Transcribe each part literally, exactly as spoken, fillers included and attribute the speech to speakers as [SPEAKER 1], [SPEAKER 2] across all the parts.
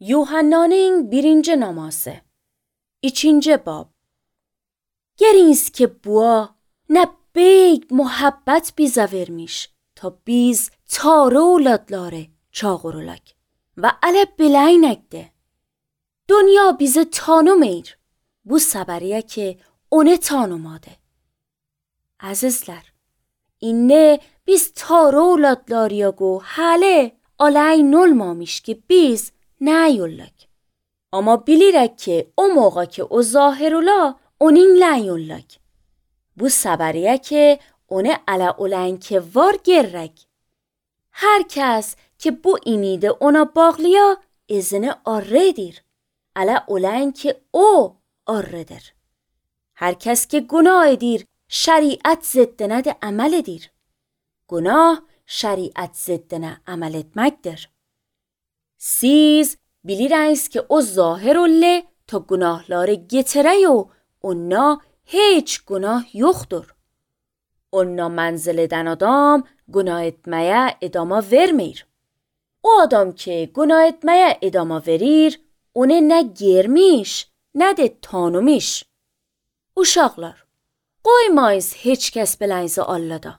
[SPEAKER 1] Yuhannaning birinci namosi, ikkinchi bob. Geliniz ki bua ne beyg muhabbet bize vermiş ta biz tarı oğladları çağırılak ve ale bileynekde. Dünya bizi tanımır. Bu sabariye ki onu tanımadı. Azizler, inne biz tarı oğladlarıyago hale alayn olmamış ki biz ne yollak. Ama bilirek ki o موقع ki o zahir ola onun لن yollak. Bu sabariye ki onu ala olan ki var gerrek. Herkes ki bu imide ona bağlıya izini arredir. Ala olan ki o arredir. Herkes ki günah edir şeriat ziddine de amel edir. Günah şeriat ziddine amel etmektir. Siz bilirsiniz ki o zahir olle ta günahları getire و اونا hiç günah yoktur. Ona منزلدن adam günah etmeye edama vermir. O adam ki günah etmeye edama verir, onu ne germiş ne de tanımış. Uşaqlar, qoymayız heç kəs biləyinizi Allah'da.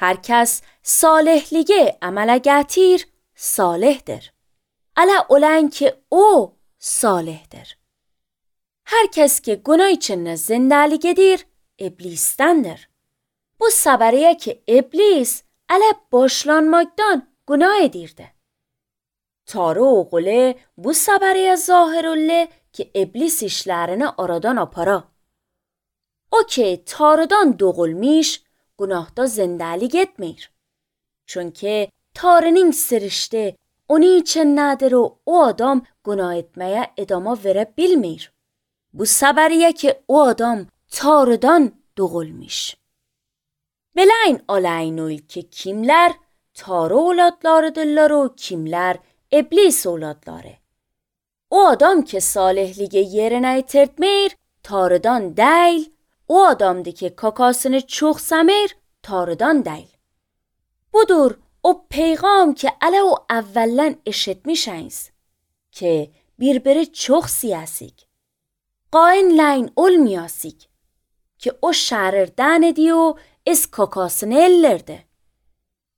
[SPEAKER 1] Hər kəs salihliğe əmələ gətir, salihdir. Ala olan ki o salihdir. Herkes ki günah içinde zindelik edir, iblistendir. Bu sabariye ki iblis ala başlanmaktan günah edirdi. Tarı oğlu bu sabariye zahir olle ki iblis işlerini aradan apara. O ki tarıdan doğulmuş, günahda zindelik etmir. Çünkü tarının sirişti, onun için nedir o, o adam günah etmeye edama verebilmir. Bu sabariye ki o adam tarıdan doğulmuş. Bileyin alaynul ki kimler tarı oğladlarıdırlar o kimler iblis oğladları. O adam ki salihliği yerine yitirtmir, tarıdan değil, o adamdı ki kakasını çok semir, tarıdan değil. Budur o پیغام که اله و اولن اشتمیشنیز که birbiri çok siyasik. قاین لین olmayasik که o şehirden ediyor iz kakasını ellirdi.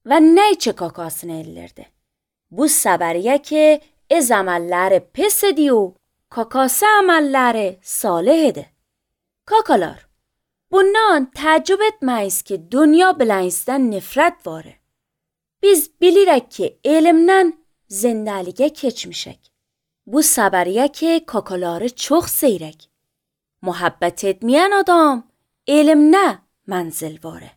[SPEAKER 1] Ve neyçe kakasını ellirdi? Bu sabariye ki iz amelleri pis ediyor, kakası amelleri salih edi. Kakalar, bundan تعجب etmeyiz ki dünya bilenizden nefret var. Biz bilirek ki elimden zindeliğe keçmişek. Bu sabariye ki kakaları çok seyrek. Muhabbet etmeyen adam elimne menzil vare.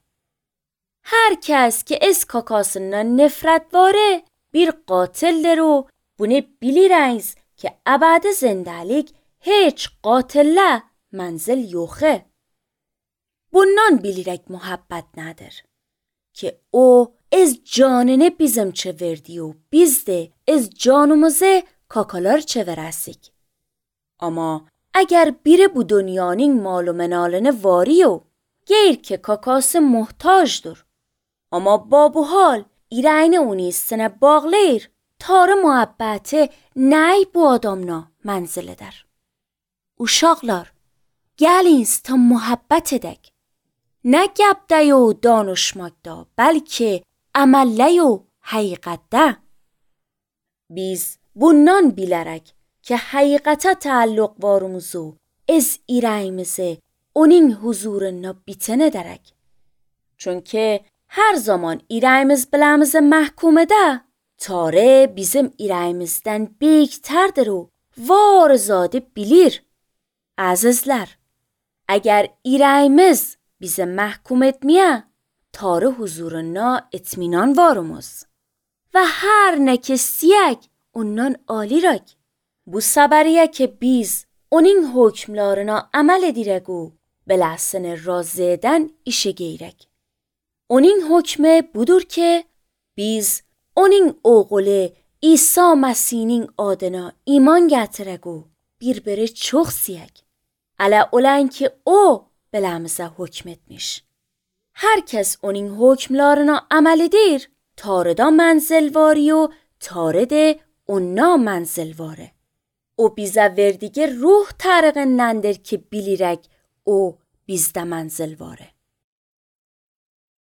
[SPEAKER 1] Herkes ki ez kakasından nefret vare bir qatildir و bunu biliriz ki abad zindelik hiç qatille menzil yoxe. Bundan bilirek muhabbet nedir? Ki o از جاننه بیزم چه وردی و بیزده از جانومزه کاکالار چه ورسیک. اما اگر بیره بو دنیانین مال و منالنه واریو گیر که کاکاس محتاج دور. اما بابو حال ایرین اونیستنه باغلیر تار محبته نی بو آدامنا منزله در. uşaqlar, gəliniz ta muhabbet edək. Nə gəbdə و danışmaqda, bəlkə əməllə و həqiqətdə. Biz bundan bilərək ki, həqiqətə təalluq varımızı, ez irəyimizi onun huzuruna bitin edərək. Çünki hər zaman irəyimiz biləmizi məhkum edə, tarih bizim irəyimizdən beyktərdir و varzadı bilir. Əzizlər, əgər irəyimiz bize محکوم etmeye, tarih huzuruna etminan varımız. Ve her ne kesiyek ondan alirak. Bu sabariye ki biz onun hükümlerine amel edirek و بلحسن razı eden işe geyrek. Onun hükmü budur ki biz onun oğlu İsa Mesih'in adına iman getirek و birbiri çok siyek. Ala olan ki o بلمزه حکم etmiş. Herkes onun hükümlerine amel edir, tarıda menzilvari و تارد Onlar manzilvare. O bize verdiği ruh tarığı nendir ki bilirek o bizde manzilvare.